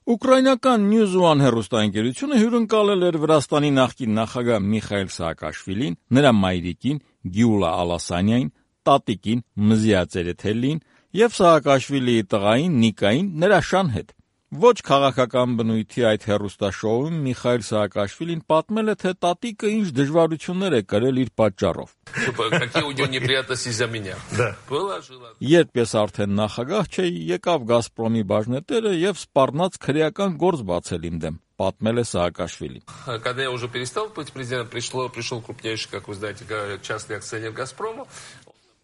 Ուկրաինական News One հեռուստաընկերությունը հյուրընկալել էր Վրաստանի նախկին նախագահ Միխայիլ Սահակաշվիլին, նրա մայրիկին Գյուլա Ալասանիային, տատիկին Մզիա Ցերեթելին և Սահակաշվիլիի տղային Նիկային նրա շան հետ։ Ոչ քաղաքական բնույթի այդ հեռուստաշոուում Միխայիլ Սահակաշվիլին պատմել է, թե տատիկը ինչ դժվարություններ է կրել իր պատճառով։ Երբ ես արդեն նախագահ չէի, եկավ Գազպրոմի բաժնետերը և սպառնաց քրեական գործ բացել իմ դեմ, պատմել է Սահակաշվիլին։ Когда я уже перестал быть президентом, пришел крупнейший, как вы знаете, частный акционер «Газпрома».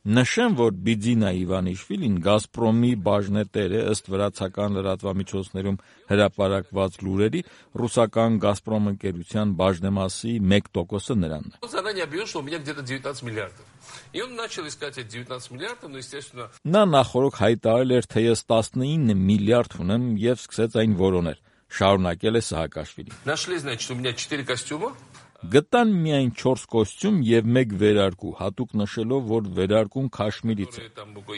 Նշեմ, որ Բիձինա Իվանիշվիլին Գազպրոմի բաժնետեր է, ըստ վրացական լրատվամիջոցներում հրապարակված լուրերի, ռուսական Գազպրոմ ընկերության բաժնեմասի 1%-ը նրանն է։ Заранее объявил, что у меня где-то 19 миллиардов. И он начал искать эти 19 миллиардов, но, естественно... Նա նախորդ հայտարարել էր, թե ես 19 միլիարդ ունեմ և սկսեց այն որոնել, շարունակել է Սահակաշվիլին։ Нашли, значит, у меня 4 костюма. Գտան միայն 4 կոստյում և 1 վերարկու, հատուկ նշելով, որ վերարկուն Քաշմիրից է։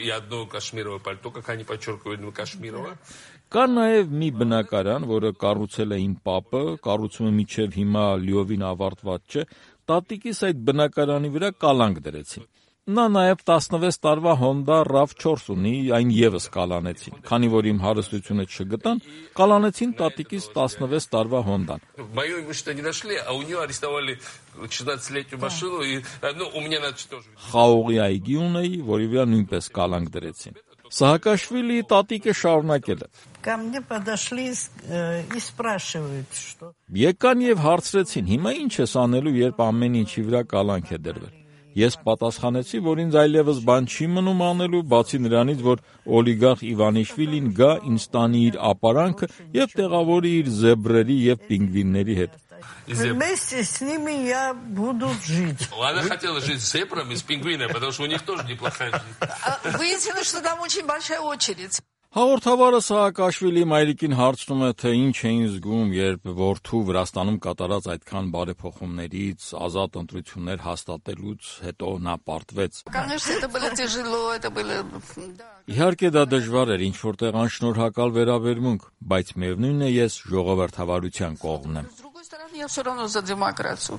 И одно кашмировое пальто, как они подчеркивают, кашмировое. Կա նաև մի բնակարան, որը կառուցել է իմ պապը, կառուցումը մինչև հիմա լիովին ավարտված չէ, տատիկիս այդ բնակարանի վրա կալանք դրեցին։ Նա նաև 16 տարվա Honda RAV4 ունի, այն ևս կալանեցին, քանի որ իմ հարստությունը չգտան, կալանեցին տատիկիս 16 տարվա Honda-ն։ Мое имущество не нашли, а у нее арестовали 16-летнюю машину, и у меня тоже. Խաղողի այգի ունեի, որի վրա նույնպես կալանք դրեցին։ Սահակաշվիլիի տատիկը շարունակել է։ Ко мне подошли и спрашивают, что... Եկան և հարցրեցին, հիմա ինչ ես անելու, երբ ամեն ինչի վրա կալանք է դրվել։ Ես պատասխանեցի, որ ինձ այլևս բան չի մնում անելու, բացի նրանից, որ օլիգարխ Իվանիշվիլին գա, ինձ տանի իր ապարանքը և տեղավորի իր զեբրերի և պինգվինների հետ։ Вместе с ними я буду жить. Она хотела жить с зебрами, с пингвинами, потому что у них тоже неплохая жизнь. Выяснилось, что там очень большая очередь. Հաղորդավարը Սահակաշվիլի մայրիկին հարցնում է, թե ինչ էին զգում, երբ որդու Վրաստանում կատարած այդքան բարեփոխումներից, ազատ ընտրություններ հաստատելուց հետո նա պարտվեց։ Конечно, это было тяжело, это было... Իհարկե դա դժվար էր, ինչ-որտեղ անշնորհակալ վերաբերմունք, բայց միևնույն է ես ժողովրդավարության կողմն եմ։ С другой стороны, я все равно за демократию.